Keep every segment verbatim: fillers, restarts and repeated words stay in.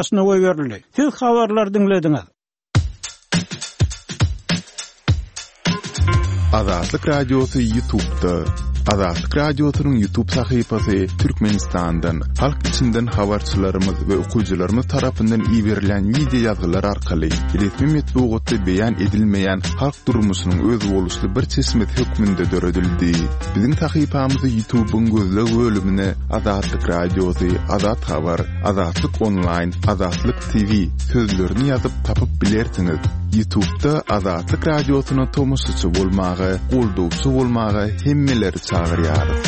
Başyna goýberildi. Siz habarlary diňlediňiz. Azatlyk Radiosy YouTube'da. Azatlyk Radiosynyň YouTube sahypasy Türkmenistandan, halk içinden habarçylarymyz we okyjylarymyz tarapyndan iberilen wideo ýazgylar arkaly resmi metbugatda beýan edilmeýän halk durmuşynyň özboluşly bir çeşmesi hökmünde döredildi. Biziň sahypamyzy YouTube'yň gözleg bölümine Azatlyk Radiosy, Azat Habar, Azatlyk Online, Azatlyk T V sözlerini ýazyp tapyp bilersiňiz. YouTube'da Azatlyk Radiosyna tomaşaçy bolmaga, goldawçy bolmaga hemmeleri çagyrýarys.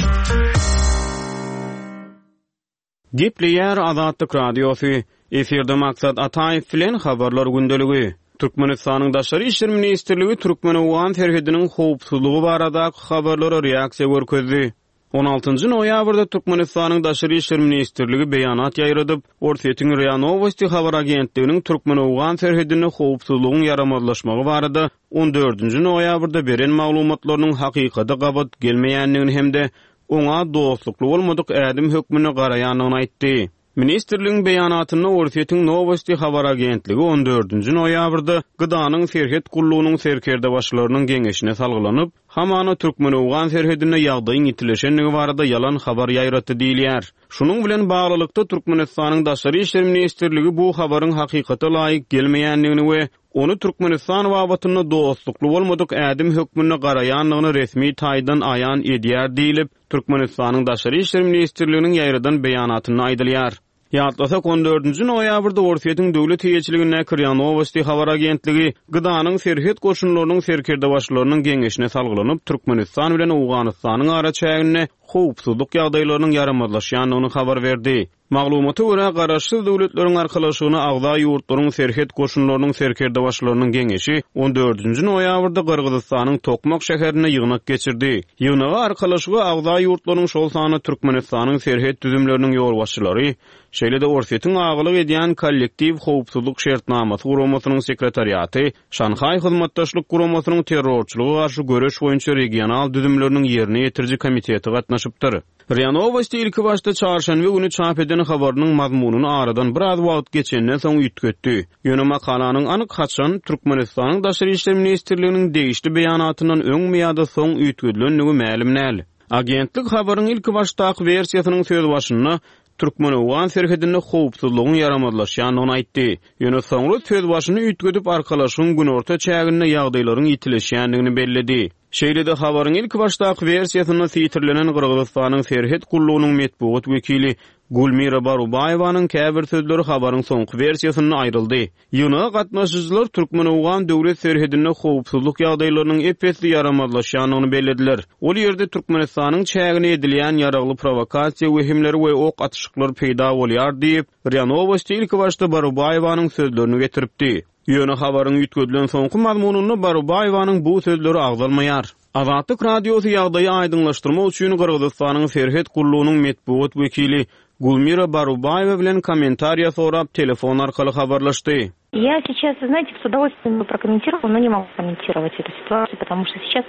Gepleýär Azatlyk Radiosy. Efirde Maksat Ataýew bilen habarlar gündeligi. Türkmenistanyň Daşary işler ministrligi Türkmen-Owgan serhediniň howpsuzlygy baradaky habarlara reaksiýa görkezdi. On altynjy noýabrda Türkmenistanyň Daşary işler ministrligi beýanat ýaýradyp, Orsýetiň RIA Novosti habar agentliginiň Türkmen-Owgan serhedinde howpsuzlygyň ýaramazlaşmagy barada on dördünji noýabrda beren maglumatlarynyň hakykata gabat gelmeýändigini hem-de oňa dostlukly bolmadyk ädim hökmünde garaýandygyny aýtdy. Ministrligiň beýanatynda Orsýetiň Novosti habar agentligi on dördünji noýabrda Gydanyň serhet gullugynyň serkerdebaşylarynyň geňeşine salgylanyp, hamana Türkmen-Owgan serhedinde ýagdaýyň ýitileşendigi barada ýalan habar ýaýratdy diýilýär. Şunuň bilen baglylykda Türkmenistanyň Daşary işler ministrligi bu habaryň hakykata laýyk gelmeýändigini we ony Türkmenistan babatynda dostlukly bolmadyk ädim hökmünde garaýandygyny resmi taýdan aýan edýär diýilip, Türkmenistanyň Daşary işler ministrliginiň ýaýradan beýanatynda aýdylýar. Ýatlasak, on dördünji noýabrda Orsýetiň döwlet eýeçiligindäki RIA Novosti habar agentligi Gydanyň serhet goşunlarynyň serkerdebaşylarynyň geňeşine salgylanyp, Türkmenistan bilen Owganystanyň araçäginde howpsuzlyk ýagdaýlarynyň ýaramazlaşýandygyny habar berdi. Maglumata görä, Garaşsyz Döwletleriň Arkalaşygyna agza ýurtlaryň serhet goşunlarynyň serkerdebaşylarynyň geňeşi on dördünji noýabrda Gyrgyzystanyň Tokmak şäherinde ýygnak geçirdi. Ýygnaga Arkalaşyga agza ýurtlaryň, şol sanda Türkmenistanyň serhet düzümleriniň ýolbaşçylary, şeýle-de Orsýetiň agalyk edýän kollektiw howpsuzlyk şertnamasy guramasynyň sekretariaty, Şanhaý hyzmatdaşlyk guramasynyň terrorçylyga garşy göreş boýunça regional düzümleriniň ýerine ýetiriji komiteti gatnaşypdyr. RIA Novosti ilki başda çarşenbe güni çap eden habarynyň mazmunyny aradan biraz wagt geçenden soň üýtgetdi. Ýöne makalanyň anyk haçan Türkmenistanyň Daşary işler ministrliginiň degişli beýanatyndan öňmi ýa-da soň üýtgedilendigi mälim däl. Agentlik habaryň ilki başdaky wersiýasynyň söz başynda Türkmen-Owgan serhedinde howpsuzlygyň ýaramazlaşýandygyny aýtdy. Ýöne soňra söz başyny üýtgedip arkalaşygyň günorta çäginde ýagdaýlaryň ýitileşýändigini belledi. Şeýle-de habaryň ilki başdaky wersiýasynda sitirlenen Gyrgyzystanyň serhet gullugynyň metbugat wekili Gulmira Barubaýewanyň käbir sözleri habaryň soňky wersiýasynda aýryldy. Ýygnaga gatnaşyjylar Türkmen-Owgan döwlet serhedinde howpsuzlyk ýagdaýlarynyň ep-esli ýaramazlaşýandygyny bellediler. Ol ýerde Türkmenistanyň çägine edilýän ýaragly provokasiýa wehimleri we ok atyşyklar peýda bolýar diýip, RIA Novosti ilki başda Barubaýewanyň sözlerini getiripdi. Ýöne habaryň üýtgedilen soňky mazmunynda Barubaýewanyň bu sözleri agzalmaýar. Azatlyk Radiosy ýagdaýy aýdyňlaşdyrmak üçin Gyrgyzystanyň serhet gullugynyň metbugat wekili Gulmira Barubaýewa bilen kommentariýa sorap telefon arkaly habarlaşdy. Я сейчас, знаете, с удовольствием бы прокомментировала, но не могу комментировать эту ситуацию, потому что сейчас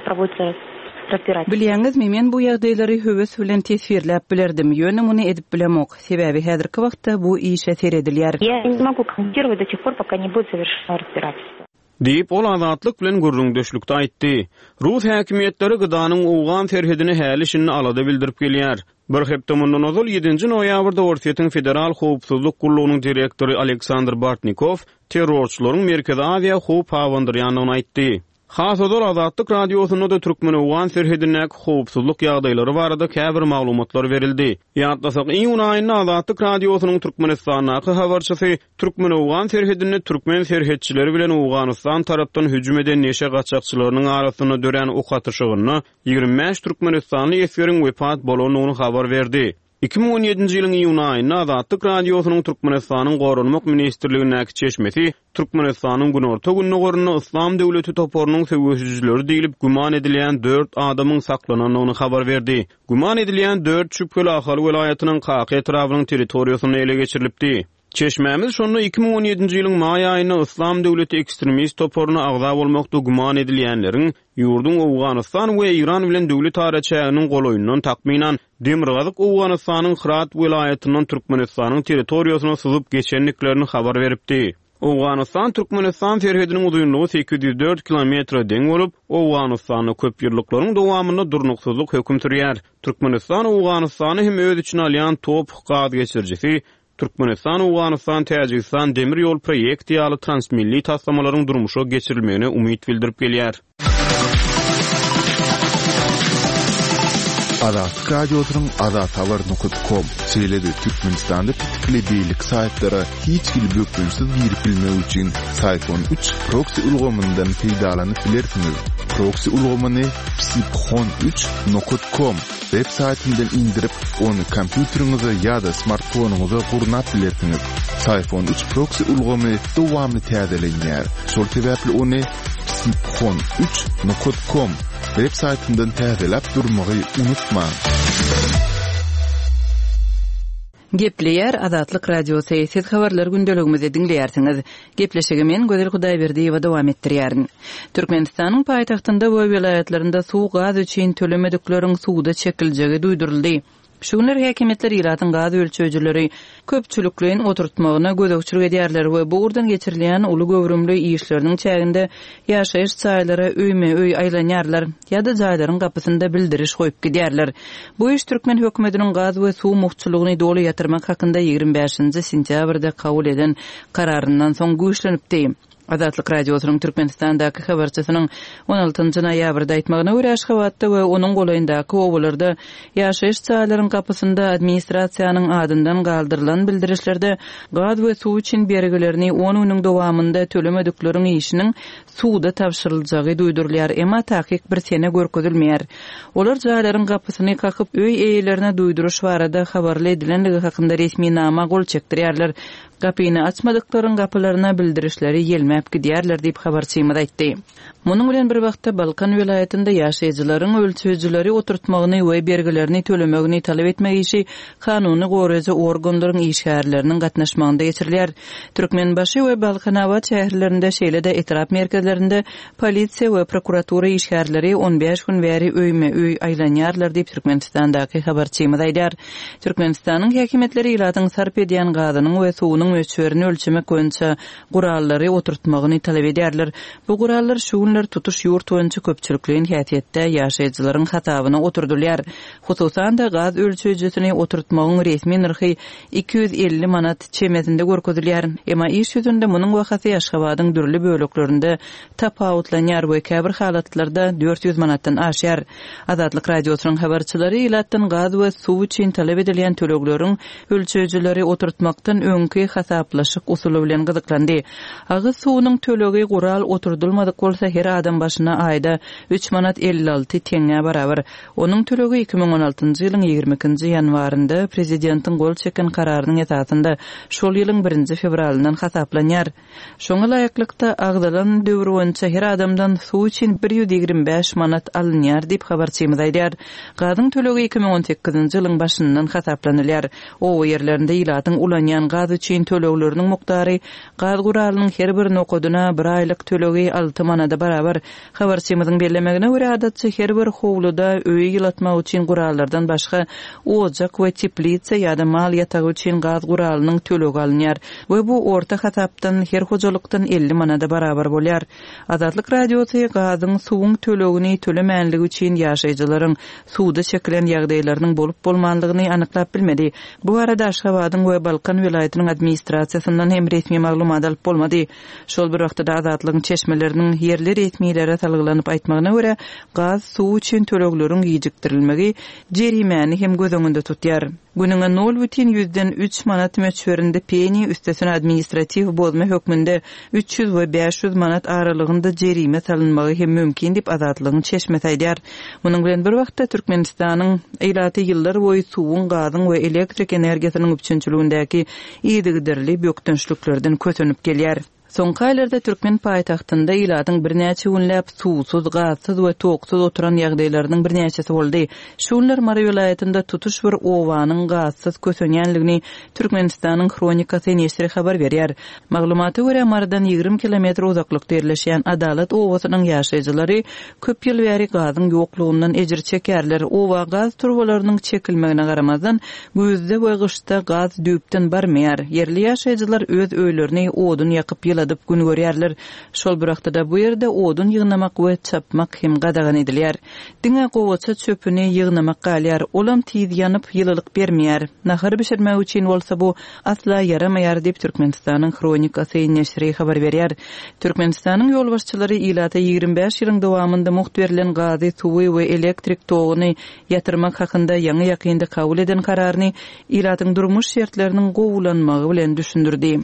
проводится разбирательство. Bilýäňizmi, men bu ýagdaýlary höwes bilen teswirläp bilerdim, ýöne muny edip bilemok. Sebäbi häzirki wagtda bu işe seredilýär. Я не могу комментировать до тех пор, пока не будет завершено разбирательство. Diýip, ol Azatlyk bilen gürrüňdeşlikde aýtdy. Rus häkimiýetleri Gydanyň Owgan serhedine häli şindi alada bildirip gelýär. Bir hepde mundan ozal ýedinji noýabrda Orsýetiň Federal Howpsuzlyk gullugynyň direktory Aleksandr Bartnikow terrorçylaryň Merkezi Aziýa howp abandyrýandygyny aýtdy. Has ozal Azatlyk Radiosynda-da Türkmen-Owgan serhedindäki howpsuzlyk ýagdaýlary barada käbir maglumatlar berildi. Ýatlasak, iýun aýynda Azatlyk Radiosynyň Türkmenistandaky habarçysy Türkmen-Owgan serhedinde türkmen serhetçileri bilen Owganystan tarapdan hüjüm eden neşe gaçakçylarynyň arasynda dörän ok atyşygynda ýigrimi bäş türkmenistanly esgeriň wepat bolandygyny habar berdi. Iki müň on ýedinji ýylyň iýun aýynda Azatlyk Radiosynyň Türkmenistanyň Goranmak ministrligindäki çeşmesi Türkmenistanyň günorta gündogarynda Yslam döwleti toparynyň söweşijileri diýlip güman edilýän dört adamyň saklanandygyny habar berdi. Güman edilýän dört şübheli Ahal welaýatynyň Kaka etrabynyň territoriýasynda ele geçirilipdi. Çeşmämiz şonda iki müň on ýedinji ýylyň maý aýynda Yslam döwleti ekstremist toparyna agza bolmakda güman edilýänleriň ýurduň Owganystan we Eýran bilen döwlet araçäginiň golaýyndan takmynan Demirgazyk Owganystanyň Hyrat welaýatyndan Türkmenistanyň territoriýasyna syzyp geçendiklerini habar beripdi. Owganystan Türkmenistan serhediniň uzynlygy sekiz ýüz dört kilometre deň bolup, Owganystanda köp ýyllyklaryň dowamynda durnuksyzlyk höküm sürýär. Türkmenistan Owganystany hem öz içine alýan top gaz geçirijisi Türkmenistan Owganystan Täjigistan demir ýol proýekti ýaly transmilli taslamalaryň durmuşa geçirilmegine umyt bildirip gelýär. Azatlyk Radiosynyň azathabar nokta com şeýle-de Türkmenistanda petikli beýleki saýtlara hiç hili bökdençsiz girip bilmek üçin Syfon üç proxy ulgamyndan peýdalanyp bilersiňiz. Proxy ulgamyny psiphon üç nokta com web saýtyndan indirip, ony kompýuteriňize ýa-da smartfonyňyza gurnap bilersiňiz. Syfon üç proxy ulgamy dowamly täzelenýär. Şol sebäpli ony psiphon üç nokta com web saýtyndan täzeläp durmagy unutmaň. Gepleýär Azatlyk Radiosy. Siz habarlar gündeligimizi diňleýärsiňiz. Gepleşigi men Gözel Hudaýberdiýewa dowam etdirýärin. Türkmenistanyň paýtagtynda we welaýatlarynda suw gaz üçin tölemedikleriň suwda çekiljegi duýduryldy. Şu günler häkimiýetler ilatyň gaz ölçeýjileri köpçülikleýin oturtmagyna gözegçilik edýärler we bu ugurdan geçirilýän uly göwrümli işleriniň çäginde ýaşaýyş jaýlara öýme-öý aýlanýarlar ýa-da jaýlaryň gapysynda bildiriş goýup gidýärler. Bu iş türkmen hökümetiniň gaz we suw mugtçulygyny doly ýatyrmak hakynda ýigrimi bäşinji sentýabrda kabul eden kararyndan soň güýçlenipdi. Azatlyk Radiosynyň Türkmenistandaky habarçysynyň on altynjy noýabrda aýtmagyna görä Aşgabatda we onuň golaýyndaky obalarda ýaşaýyş jaýlaryň gapysynda administrasiýanyň adyndan galdyrylan bildirişlerde gaz we suw üçin bergilerini on günüň dowamynda tölemedikleriň işiniň suwda tabşyryljagy duýdurylýar, emma takyk bir sene görkezilmeýär. Olar jaýlaryň gapysyny kakyp öý eýelerine duýduryş barada habarly edilenligi hakynda resminama gol çekdirýärler. Gapyny açmadyklaryň gapylaryna bildirişleri ýelmäp gidýärler diýip habarçymyz aýtdy. Munuň bilen bir wagtda Balkan welaýatynda ýaşaýjylaryň ölçeýjileri oturtmagyny we bergilerini tölemegini talap etmek işi kanuny goraýjy organlaryň işgärleriniň gatnaşmagynda geçirilýär. Türkmenbaşy we Balkanabat şäherlerinde şeýle-de etrap merkezlerinde polisiýa we prokuratura işgärleri on bäş gün bäri öýme-öý aýlanýarlar diýip Türkmenistandaky habarçymyz aýdar. Türkmenistanyň häkimiýetleri ilatyň sarp edýän gazynyň we suwunyň möçberini ölçemek boýunça gurallary oturtmagyny talap edýärler. Bu gurallar şu günler tutuş ýurt boýunça köpçülikleýin häsiýetde ýaşaýjylaryň hasabyna oturdylýar. Hususan-da gaz ölçeýjisini oturtmagyň resmi nyrhy iki ýüz elli manat çemesinde görkezilýär. Emma iş ýüzünde munuň bahasy Aşgabadyň dürli böleklerinde tapawutlanýar we käbir halatlarda dört ýüz manatdan aşýar. Azatlyk Radiosynyň habarçylary ilatdan gaz we suw üçin talap edilýän tölegleriň ölçeýjileri oturtmakdan öňki hasaplaşyk usuly bilen gyzyklandy. Agyz suwunyň tölegi gural oturdylmadyk bolsa her adam başyna aýda üç manat elli alty teňňä barabar. Onuň tölegi iki müň on altynjy ýylyň ýigrimi ikinji ýanwarynda prezidentiň gol çeken kararynyň esasynda şol ýylyň birinji fewralyndan hasaplanýar. Şoňa laýyklykda agzalan döwür boýunça her adamdan suw üçin bir ýüz ýigrimi bäş manat alynýar diýip habarçymyz aýdýar. Gazyň tölegi iki müň on sekizinji ýylyň başyndan hasaplanylýar. Oba ýerlerinde ilatyň ulanýan gaz üçin tölegleriniň mukdary gaz guralynyň her bir nokadyna bir aýlyk tölegi alty manada barabar. Habarçymyzyň bellemegine görä adatça her bir howluda öýi ýylatmak üçin gurallardan başga ojak we teplitsa ýa-da mal ýatagy üçin gaz guralynyň tölegi alynýar we bu orta hasapdan her hojalykdan elli manada barabar bolýar. Azatlyk Radiosy gazyň suwuň tölegini tölemänligi üçin ýaşaýjylaryň suwda çekilen ýagdaýlarynyň bolup bolmanlygyny anyklap bilmedi. Bu arada Aşgabadyň we Balkan welaýatynyň administrasiýasyndan hem resmi maglumat alyp bolmady. Şol bir wagtda Azatlygyň çeşmeleriniň ýerli resmilere salgylanyp aýtmagyna görä, gaz suw üçin tölegleriň gijikdirilmegi jerimäni hem göz öňünde tutýar. Günüňe nol bütin ýüzden üç manat möçberinde peni üstesine administratiw bozma hökmünde üç ýüz we bäş ýüz manat aralygynda jerime salynmagy hem mümkin diýip Azatlygyň çeşmesi aýdýar. Munuň bilen bir wagtda Türkmenistanyň ilaty ýyllar boýy suwuň, gazyň we elektrik energiýasynyň üpjünçiligindäki yzygiderli bökdençliklerden kösenip gelýär. Soňky aýlarda türkmen paýtagtynda ilatyň birnäçe günläp suwsuz, gazsyz we toksuz oturan ýagdaýlarynyň birnäçesi boldy. Şu günler Mary welaýatynda tutuş bir obanyň gazsyz kösenýänligini Türkmenistanyň Hronikasy neşiri habar berýär. Maglumata görä, Marydan ýigrimi kilometr uzaklykda ýerleşýän Adalat obasynyň ýaşaýjylary köp ýyl bäri gazyň ýoklugyndan ejir çekýärler. Oba gaz turbalarynyň çekilmegine garamazdan, güýzde we gyşda gaz düýpden barmaýar. Ýerli ýaşaýjylar öz öýlerini odun ýakyp ýyladyp gün görýärler. Şol bir wagtda-da bu ýerde odun ýygnamak we çapmak hem gadagan edilýär. Diňe gowaça çöpüni ýygnamak galýar, olam tiz ýanyp, ýylylyk bermeýär. Nahar bişirmek üçin bolsa bu asla ýaramaýar diýip, Türkmenistanyň Hronikasy neşiri habar berýär. Türkmenistanyň ýolbaşçylary ilata ýigrimi bäş ýylyň dowamynda mugt berlen gazy, suwy we elektrik toguny ýatyrmak hakynda ýaňy-ýakynda kabul eden kararyny ilatyň durmuş şertleriniň gowulanmagy bilen düşündirdi.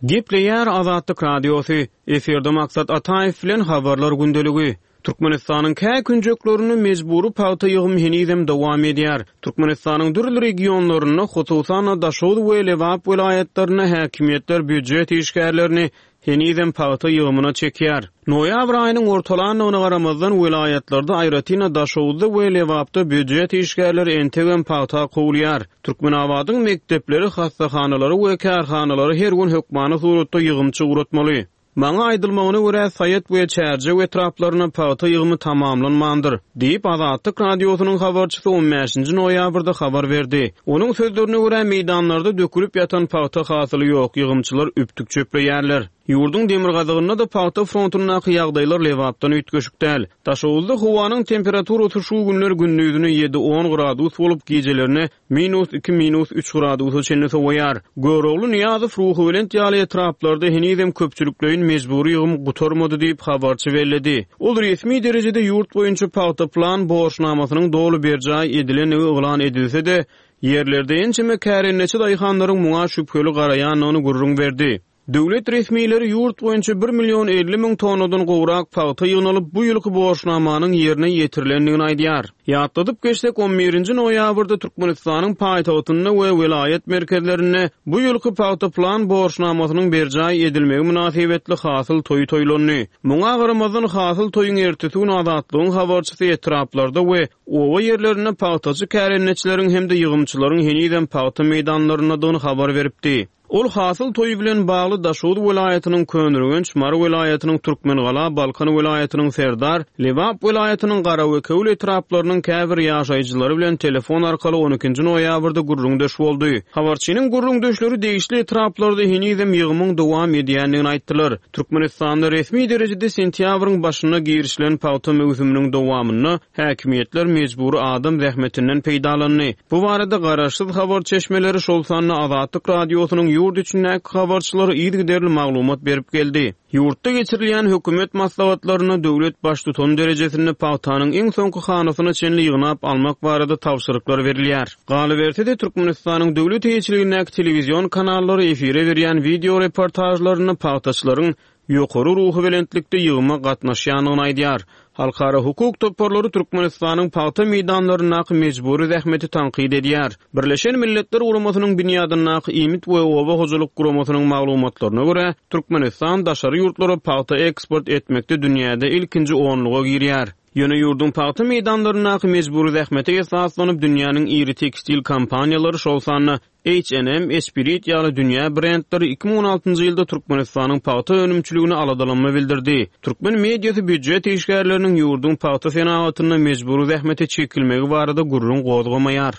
Gepleýär Azatlyk Radiosy, efirde Maksat Ataýew bilen Habarlar gündeligi. Türkmenistanyň kä künjeklerinde mejbury pagta ýygymy henizem dowam edýär. Türkmenistanyň dürli regionlarynda, hususan-da Daşoguz we Lebap welaýatlarynda häkimiýetler býujet işgärlerini henizem pagta ýygymyna çekýär. Noýabr aýynyň ortalandygyna garamazdan, welaýatlarda, aýratyn-da Daşoguzda we Lebapda býujet işgärleri entegem pagta kowulýar. Türkmenabadyň mekdepleri, hassahanalary we kärhanalary her gün hökmany suratda ýygymçy ugratmaly. Maňa aýdylmagyna görä, Saýat we Çärjew etraplaryna pagta ýygymy tamamlanmandyr, diýip, Azatlyk Radiosynyň habarçysy on bäşinji noýabrda habar berdi. Onuň sözlerine görä, meýdanlarda dökülip ýatan pagta hasyly ýok, ýygymçylar üptük çöpleýärler. Ýurduň demirgazygynda-da pagta frontundaky ýagdaýlar Lebapdan üýtgeşik däl. Daşoguzda howanyň temperaturasy şu günler gündizine ýedi-on gradus bolup, gijelerine minus iki, minus üç gradusa çenli sowaýar. Görogly, Nyýazow, Ruhubelent ýaly etraplarda henizem köpçülikleýin mejbury ýygym gutarmady diýip, habarçy belledi. Ol resmi derejede ýurt boýunça pagta plan borçnamasynyň doly berjaý edilendigi yglan edilse-de, ýerlerde ençeme kärendeçi daýhanlaryň muňa şübheli garaýandygyny gürrüň berdi. Döwlet resmileri ýurt boýunça bir million elli müň tonnadan gowrak pagta ýygnalyp, bu ýylky borçnamanyň ýerine ýetirilendigini aýdýar. Ýatladyp geçsek, on birinji noýabrda Türkmenistanyň paýtagtynda we welaýat merkezlerinde bu ýylky pagta plan borçnamasynyň berjaý edilmegi mynasybetli hasyl toýy toýlandy. Muňa garamazdan hasyl toýuň ertesi gün Azatlygyň habarçysy etraplarda we oba ýerlerinde pagtaçy kärendeçileriň hem-de ýygymçylaryň henizem pagta meýdanlaryndadygyny habar beripdi. Ol hasyl toýy bilen bagly Daşoguz welaýatynyň Köneürgenç, Mary welaýatynyň Türkmengala, Balkan welaýatynyň Serdar, Lebap welaýatynyň Garawekewül etraplarynyň käbir ýaşaýjylary bilen telefon arkaly on ikinji noýabrda gürrüňdeş boldy. Habarçynyň gürrüňdeşleri degişli etraplarda henizem ýygymyň dowam edýändigini aýtdylar. Türkmenistanda resmi derejede sentýabryň başynda girişilen pagta möwsüminiň dowamynda häkimiýetler mejbury adam zähmetinden peýdalandy. Bu barada garaşsyz habar çeşmeleri, şol sanda Azatlyk Radiosynyň ýurt içindäki habarçylary yzygiderli maglumat berip geldi. Ýurtda geçirilýän hökümet maslahatlarynda döwlet baştutan derejesinde pagtanyň iň soňky hanasyna çenli ýygnap almak barada tabşyryklar berilýär. Galyberse-de Türkmenistanyň döwlet eýeçiligindäki telewizion kanallary efire berýän video reportajlarynda pagtaçylaryň ýokary ruhubelentlikde ýygyma gatnaşýandygyny aýdýar. Halkara hukuk toparlary Türkmenistanyň pagta meýdanlaryndaky mejbury zähmeti tankyt edýär. Birleşen Milletler Guramasynyň binýadyndaky iýmit we oba hojalyk guramasynyň maglumatlaryna görä, Türkmenistan daşary ýurtlara pagta eksport etmekde dünýäde ilkinji onluga girýär. Ýöne ýurduň pagta meýdanlaryndaky mejbury zähmete esaslanyp dünýäniň iri tekstil kompaniýalary, şol sanda H and M, Esprit ýaly dünýä brendleri iki müň on altynjy ýylda Türkmenistanyň pagta önümçiligine aladalanma bildirdi. Türkmen mediasy býujet işgärleriniň ýurduň pagta senagatynda mejbury zähmete çekilmegi barada gürrüň gozgamaýar.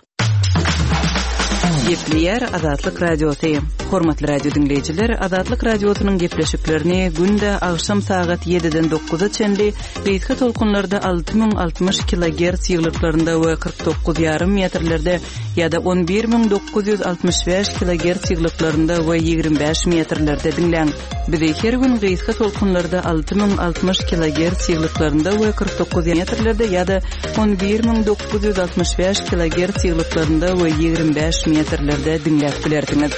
Gepleýär Azatlyk Radiosy. Hormatly radio diňleýjiler, Azatlyk Radiosynyň gepleşiklerini günde agşam sagat ýediden dokuza çenli gysga tolkunlarda alty müň altmyş kilogertz ýyglyklarynda we kyrk dokuz ýarym metrlerde ýa-da on bir müň dokuz ýüz altmyş bäş kilogertz ýyglyklarynda we ýigrimi bäş metrlerde diňläň. Bizi her gün gysga tolkunlarda alty müň altmyş kilogertz ýyglyklarynda we kyrk dokuz metrlerde ýa-da on bir müň dokuz ýüz altmyş bäş kilogertz ýyglyklarynda we ýigrimi bäş metrlerde diňläp bilersiňiz.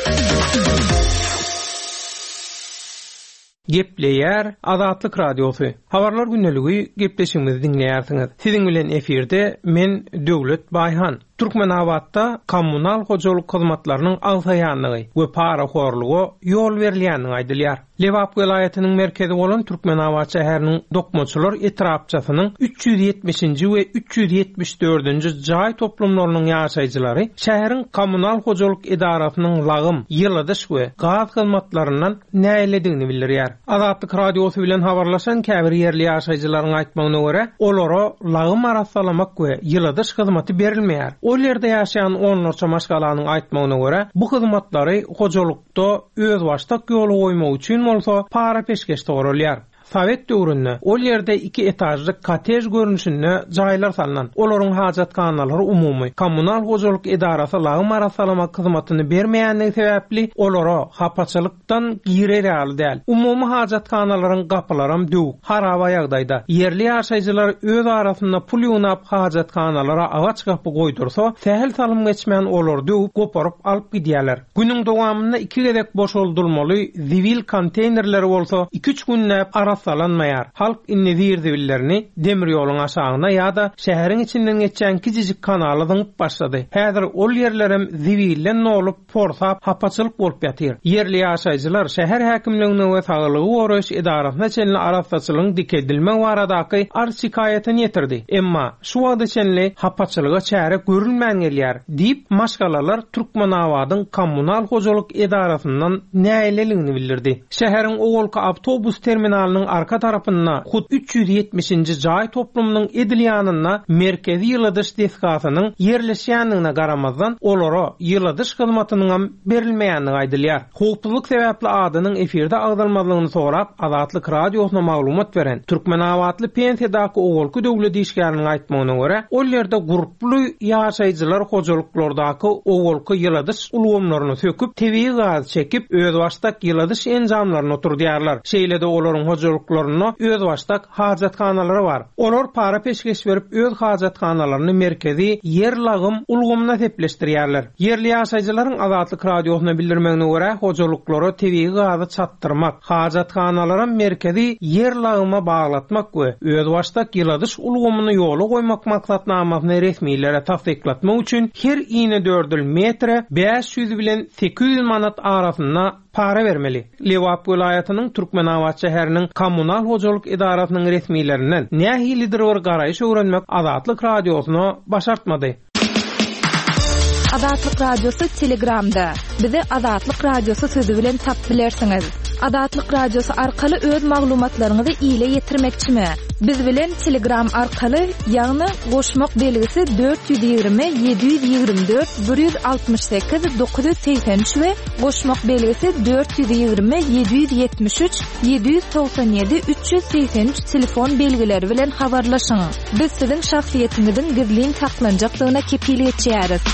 Gepleýär Azatlyk Radiosy. Habarlar gündeligi gepleşigimizi diňleýärsiňiz. Siziň bilen efirde men Döwlet Baýhan. Türkmenabatda kommunal hojalyk hyzmatlarynyň agsaýanlygy we parahorluga ýol berilýändigi aýdylýar. Lebap welaýatynyň merkezi bolan Türkmenabat şäheriniň Dokmaçylar etrapçasynyň üç ýüz ýetmişinji we üç ýüz ýetmiş dördünji jaý toplumlarynyň ýaşaýjylary şäheriň kommunal hojalyk edarasynyň lagym, ýyladyş we gaz hyzmatlaryndan nägiledigini bildirýär. Azatlyk radiosy bilen habarlaşan käbir ýerli ýaşaýjylaryň aýtmagyna görä, olara lagym arassalamak we ýyladyş hyzmaty berilmeýär. Ol ýerde ýaşaýan onlarça maşgalanyň aýtmagyna görä, bu hyzmatlary hojalykda özbaşdak ýola goýmak üçin bolsa para peşgeş soralýar. Sovet döwründe ol ýerde iki etažly kottej görnüşinde jaýlar salnan. Olaryň hajathanalary umumy kommunal hojalyk edarasy lagym arassalamak hyzmatyny bermeýänligi sebäpli olara hapaçylykdan girer ýaly däl. Umumy hajathanalaryň gapylaram döwük, haraba ýagdaýda. Ýerli ýaşaýjylar öz arasynda pul ýygnap hajathanalara agaç gapy goýdursa, sähel salym geçmän olar döwüp, goparyp alyp gidýärler. Günüň dowamynda iki gezek boşaldylmaly zibil konteynerleri bolsa iki-üç günläp arassalanmaýar. Halk indi zir-zibillerini demir ýoluň aşagyna ýa-da şäheriň içinden geçýän kiçijik kanala zyňyp başlady. Häzir ol ýerlerem zibilden dolup, porsap, hapaçylyk bolup ýatyr. Ýerli ýaşaýjylar şäher häkimligine we saglygy goraýyş edarasyna çenli arassaçylygyň dikeldilmegi baradaky arz şikaýatyny ýetirdi. Emma şu wagta çenli hapaçylyga çäre görülmän gelýär diýip, maşgalalar Türkmenabadyň kommunal hojalyk edarasyndan nägileligini bildirdi. Şäheriň owalky awtobus terminalynyň arka tarapynda hut üç ýüz ýetmişinji jaý toplumynyň edil ýanynda merkezi ýyladyş desgasynyň ýerleşýändigine garamazdan olara ýyladyş hyzmatynyň berilmeýändigi aýdylýar. Howpsuzlyk sebäpli adynyň efirde agzalmazlygyny sorap Azatlyk radiosyna maglumat beren Türkmenabatly pensiýadaky owalky döwlet işgäriniň aýtmagyna görä, ol ýerde gurply ýaşaýjylar hojalyklardaky owalky ýyladyş ulgamlaryny söküp, tebigy gaz çekip, özbaşdak ýyladyş enjamlaryny oturdýarlar. Şeýle-de olaryň hojalyklarynda özbaşdak hajathanalary bar. Olar para peşgeş berip öz hajathanalaryny merkezi ýer lagym ulgamyna sepleşdirýärler. Ýerli ýaşaýjylaryň Azatlyk radiosyna bildirmegine görä, hojalyklara tebigy gazy çatdyrmak, hajathanalara merkezi ýer lagyma baglatmak we özbaşdak ýyladyş ulgamyny ýola goýmak maksatnamasyny resmilere tassyklatmak üçin her inedördül metre bäş ýüz bilen sekiz ýüz manat arasynda para bermeli. Lebap welaýatynyň Türkmenabat şäheriniň kommunal hojalyk edarasynyň resmilerinden nähilidir bir garaýyş öwrenmek Azatlyk radiosyna başartmady. Azatlyk Radiosy Telegramda. Bizi Azatlyk Radiosy sözü bilen tap bilersiňiz. Azatlyk Radiosy arkaly öz maglumatlaryňyzy ile ýetirmekçimi? Biz bilen Telegram arkaly, ýagny goşmak belgisi dört ýüz ýigrimi ýedi ýüz ýigrimi dört bir ýüz altmyş sekiz dokuz ýüz segsen üç we goşmak belgisi dört ýüz ýigrimi ýedi ýüz ýetmiş üç ýedi ýüz togsan ýedi üç ýüz segsen üç telefon belgileri bilen habarlaşyň. Biz siziň şahsyýetiňiziň gizlin saklanjakdygyna kepil geçýäris.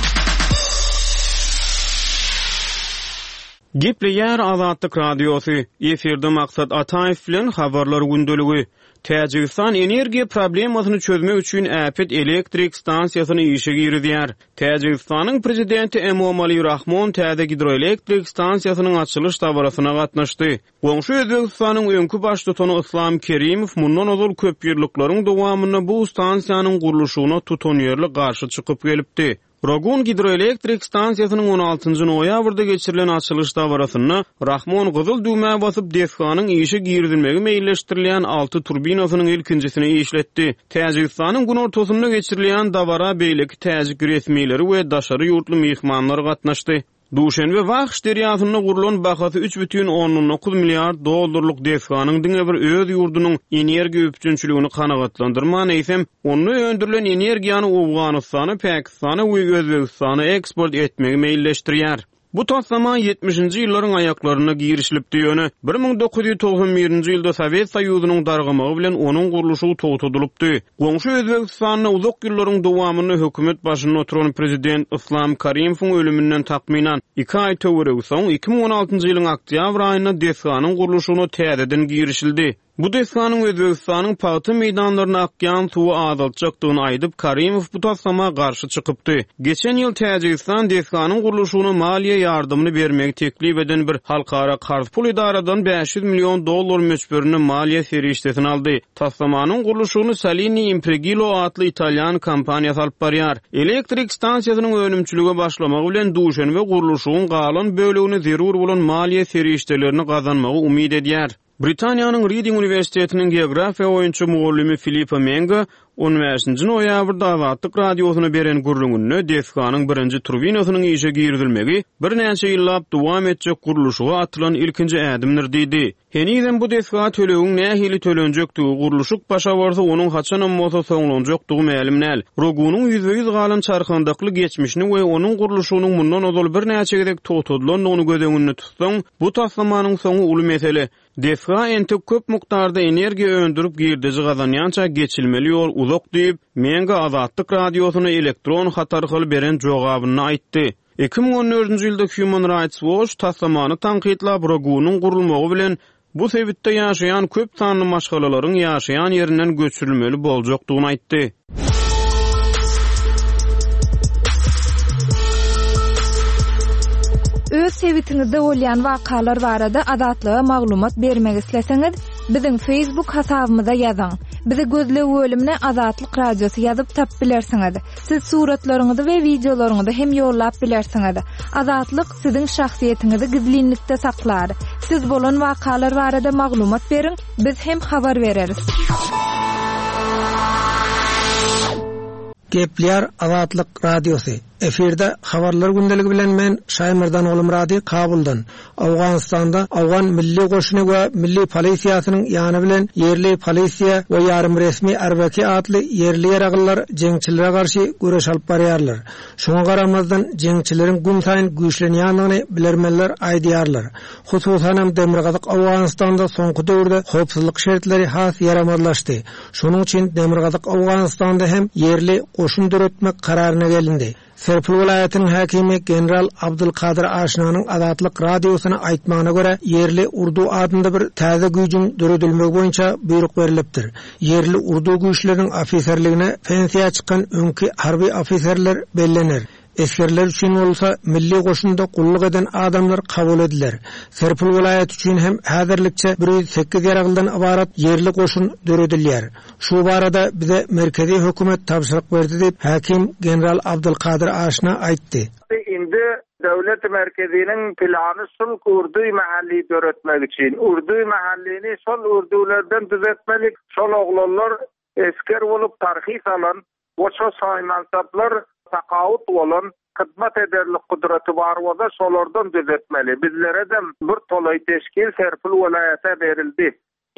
Gepleýär Azatlyk Radiosy. Efirde Maksat Ataýew bilen habarlar gündeligi. Täjigistan energiýa problemasyny çözmek üçin äpet elektrik stansiýasyny işe girizýär. Täjigistanyň prezidenti Emomali Rahmon täze gidroelektrik stansiýasynyň açylyş dabarasyna gatnaşdy. Goňşy Özbegistanyň öňki baştutany Islam Kerimow mundan ozal köp ýyllyklaryň dowamynda bu stansiýanyň gurluşygyna tutanýerli garşy çykyp gelipdi. Rogun gidroelektrik stansiýasynyň on altynjy noýabrda geçirilen açylyş dabarasynda Rahmon gyzyl düwmä basyp desganyň işe girizilmegi meýilleşdirilýän alty turbinasynyň ilkinjisini işletdi. Täjigistanyň günortasynda geçirilýän dabara beýleki täjik resmileri we daşary ýurtly myhmanlar gatnaşdy. Duşenbe Wahş derýasynda gurlan bahasy üç bütin ondan dokuz milliard dollarlyk desganyň diňe bir öz ýurdunyň energiýa üpjünçiligini kanagatlandyrman, eýsem, onda öndürilen energiýany Owganystana, Pakistana we Özbegistana eksport etmegi meýilleşdirýär. Bu taslama ýetmişinji ýyllaryň aýaklarynda girişilipdi, ýöne bir müň dokuz ýüz togsan birinji ýylda Sowet Soýuzynyň dargamagy bilen onuň gurluşygy togtadylypdy. Goňşy Özbegistanda uzak ýyllaryň dowamynda hökümet başynda oturan prezident Islam Karimowyň ölüminden takmynan iki aý töweregi soň iki müň on altynjy ýylyň oktýabr aýynda desganyň gurluşygyna täzeden girişildi. Bu desganyň Özbegistanyň pagta meýdanlaryna akýan suwy azaltjakdygyny aýdyp, Karimow bu taslama garşy çykypdy. Geçen ýyl Täjigistan desganyň gurluşygyna maliýe ýardamyny bermegi teklip eden bir halkara karz pul edaradan bäş ýüz million dollar möçberinde maliýe serişdesini aldy. Taslamanyň gurluşygyny Salini Impregilo atly italýan kompaniýasy alyp barýar. Elektrik stansiýasynyň önümçilige başlamagy bilen Duşenbe gurluşygyň galan bölegini zerur bolan maliýe serişdelerini gazanmagy umyt edýär. Britaniýanyň Reading uniwersitetiniň geografiýa boýunça mugallymy Filippo Menga on bäşinji noýabrda Azatlyk radiosyna beren gürrüňinde desganyň birinji turbinasynyň işe girizilmegi birnäçe ýyllap dowam etjek gurluşyga atylan ilkinji ädimdir diýdi. Henizem bu desga tölegiň nähili tölenjekdigi, gurluşyk başa barsa onuň haçanam bolsa soňlanjakdygy mälim däl. Rogunyň ýüzbe-ýüz galan çarkandakly geçmişini we onuň gurluşygynyň mundan ozal birnäçe gezek togtadylandygyny göz öňünde tutsaň, bu taslamanyň soňy uly mesele. Desga entek köp mukdarda energiýa öndürip girdeji gazanýança geçilmeli ýol uzak diýip, Menga Azatlyk radiosyna elektron hat arkaly beren jogabyny aýtdy. Iki müň on dördünji ýylda Human Rights Watch taslamany tankytlap, Rogunyň gurulmagy bilen bu sebitde ýaşaýan köp sanly maşgalalaryň ýaşaýan ýerinden göçürilmeli boljakdygyny aýtdy. Öz sebitiňizde bolýan wakalar barada Azatlyga maglumat bermek isleseňiz, biziň Facebook hasabymyza ýazyň. Bizi gözleg bölümine Azatlyk Radiosy ýazyp tap bilersiňiz. Siz suratlaryňyzy we wideolaryňyzy hem ýollap bilersiňiz. Azatlyk siziň şahsyýetiňizi gizlinlikde saklar. Siz bolan wakalar barada maglumat beriň, biz hem habar bereris. Gepler Azatlyk Radiosy. Efirde habarlar gündeligi bilen men Şaýmyrdan Oglumyrady Kabuldan. Awganystanda Awgan Milli Goşuny we Milli Polisiýasynyň ýany bilen ýerli polisiýa we ýarym resmi Arbaki atly ýerli ýaraglylar jeňçilere garşy göreş alyp barýarlar. Şoňa garamazdan jeňçileriň gün saýyn güýçlenýändigini bilermenler aýdýarlar. Hususan hem Demirgazyk Awganystanda soňky döwürde howpsuzlyk şertleri has ýaramazlaşdy. Şonuň üçin Demirgazyk Awganystanda hem ýerli goşun döretmek kararyna gelindi. Serpil welaýatynyň häkimi General Abdulkadir Aşnanyň Azatlyk radiosyna aýtmagyna görä ýerli urdu adynda bir täze güýjüň döredilmegi boýunça buýruk berilipdir. Ýerli urdu güýçleriniň ofiserligine pensiýa çykan öňki harby ofiserler bellener. Esgerler üçin bolsa milli goşunda gulluk eden adamlar kabul ediler. Serpil welaýaty üçin hem häzirlikçe bir ýüz sekiz ýaraglydan ybarat ýerli goşun döredilýär. Şu barada bize merkezi hökümet tabşyryk berdi diýip häkim General Abdulkadir Aşna aýtdy. Indi döwlet merkeziniň plany şul urdu mahalli döretmek üçin. Urdu mahallini şol urdulardan düzetmeli. Şol oglanlar esker bolup tarhis alan, boşa saýmansaplar takaut bolan, hyzmat ederlik gudraty bar bolsa şolardan düzetmeli. Bizlere de bir tolay teşkil Serpil welaýata berildi.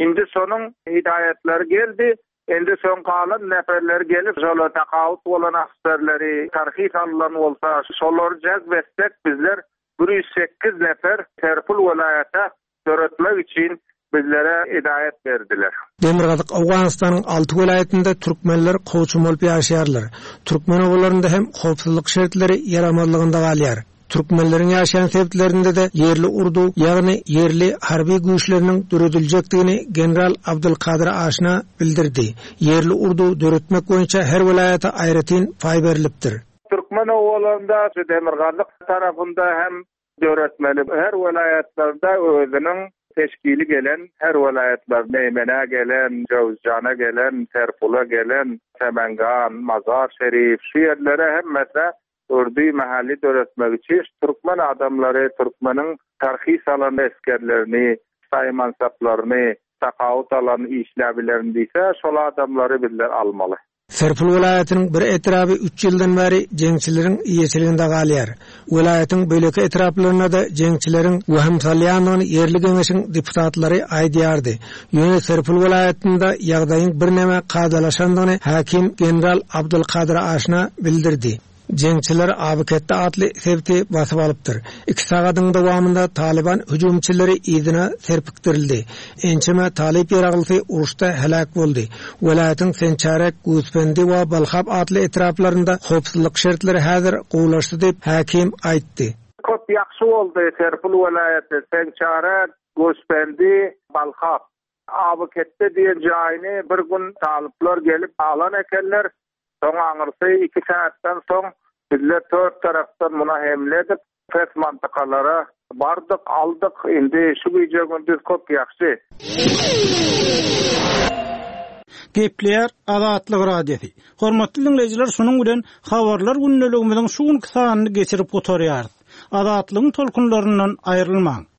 Indi şonuň hidaýatlary geldi. Indi soň galan neferler gelip, şolar takaut bolan askerleri tarhis alynan bolsa, şolary jazb etsek bizler bir ýüz sekiz nefer Serpil welaýata döretmek üçin bizlere hidaýat berdiler. Demirgazyk Awganystanyň alty welaýatynda türkmenler kowçum bolup ýaşaýarlar. Türkmen obalarynda hem howpsuzlyk şertleri ýaramazlygynda galýar. Türkmenleriň ýaşaýan sebitlerinde de ýerli urdu, ýagny ýerli harby güýçleriniň dörediljekdigini General Abdulkadir Aşna bildirdi. Ýerli urdu döretmek boýunça her welaýata aýratyn paý berilipdir. Türkmen obalarynda Demirgazyk tarapynda hem döretmeli. Her welaýatlarda özüniň teşkili gelen, her welaýatlar Meýmenä gelen, Jowzjana gelen, Serpula gelen, Semengan, Mazar Şerif, şu ýerlere hemmesi urdu mahalli döretmek üçin türkmen adamlary, türkmeniň tarhis alan eskerlerini, saýmansaplaryny, takaut alan işläbilerini diýse, şol adamlary bizler almaly. Serpil welaýatynyň bir etraby üç ýyldan bäri jeňçileriň eýeçiliginde galýar. Welaýatyň beýleki etraplarynda da jeňçileriň wahym salýandygyny ýerli geňeşiň deputatlary aýdýardy. Ýöne Serpil welaýatynda ýagdaýyň birneme kadalaşandygyny häkim General Abdulkadir Aşna bildirdi. Jeňçiler Abyketde atly sebiti basyp alypdyr. Iki sagadyň dowamynda Taliban hüjümçileri yzyna serpikdirildi. Ençeme Talip ýaraglysy uruşda helak boldy. Welaýatyň Sençarek, Guzpendi we Balhab atly etraplarynda howpsuzlyk şertleri häzir gowulaşdy diýip häkim aýtdy. Köp ýagşy boldy Serpil welaýaty, Sençarek, Guzpendi, Balhab. Abyketde diýen jaýyny bir gün talyplar gelip alan ekenler. Soň aňyrsy iki saatdan soň bizler dört tarapdan muna hemle edip pes mantykalara bardyk, aldyk. Indi şu gije gündüz köp ýagşy. Gepleýär Azatlyk Radiosy. Hormatly dinleýjiler, şunuň bilen habarlar gündeligimiziň şu günki sanyny geçirip gutarýarys. Azatlygyň tolkunlaryndan aýrylmaň.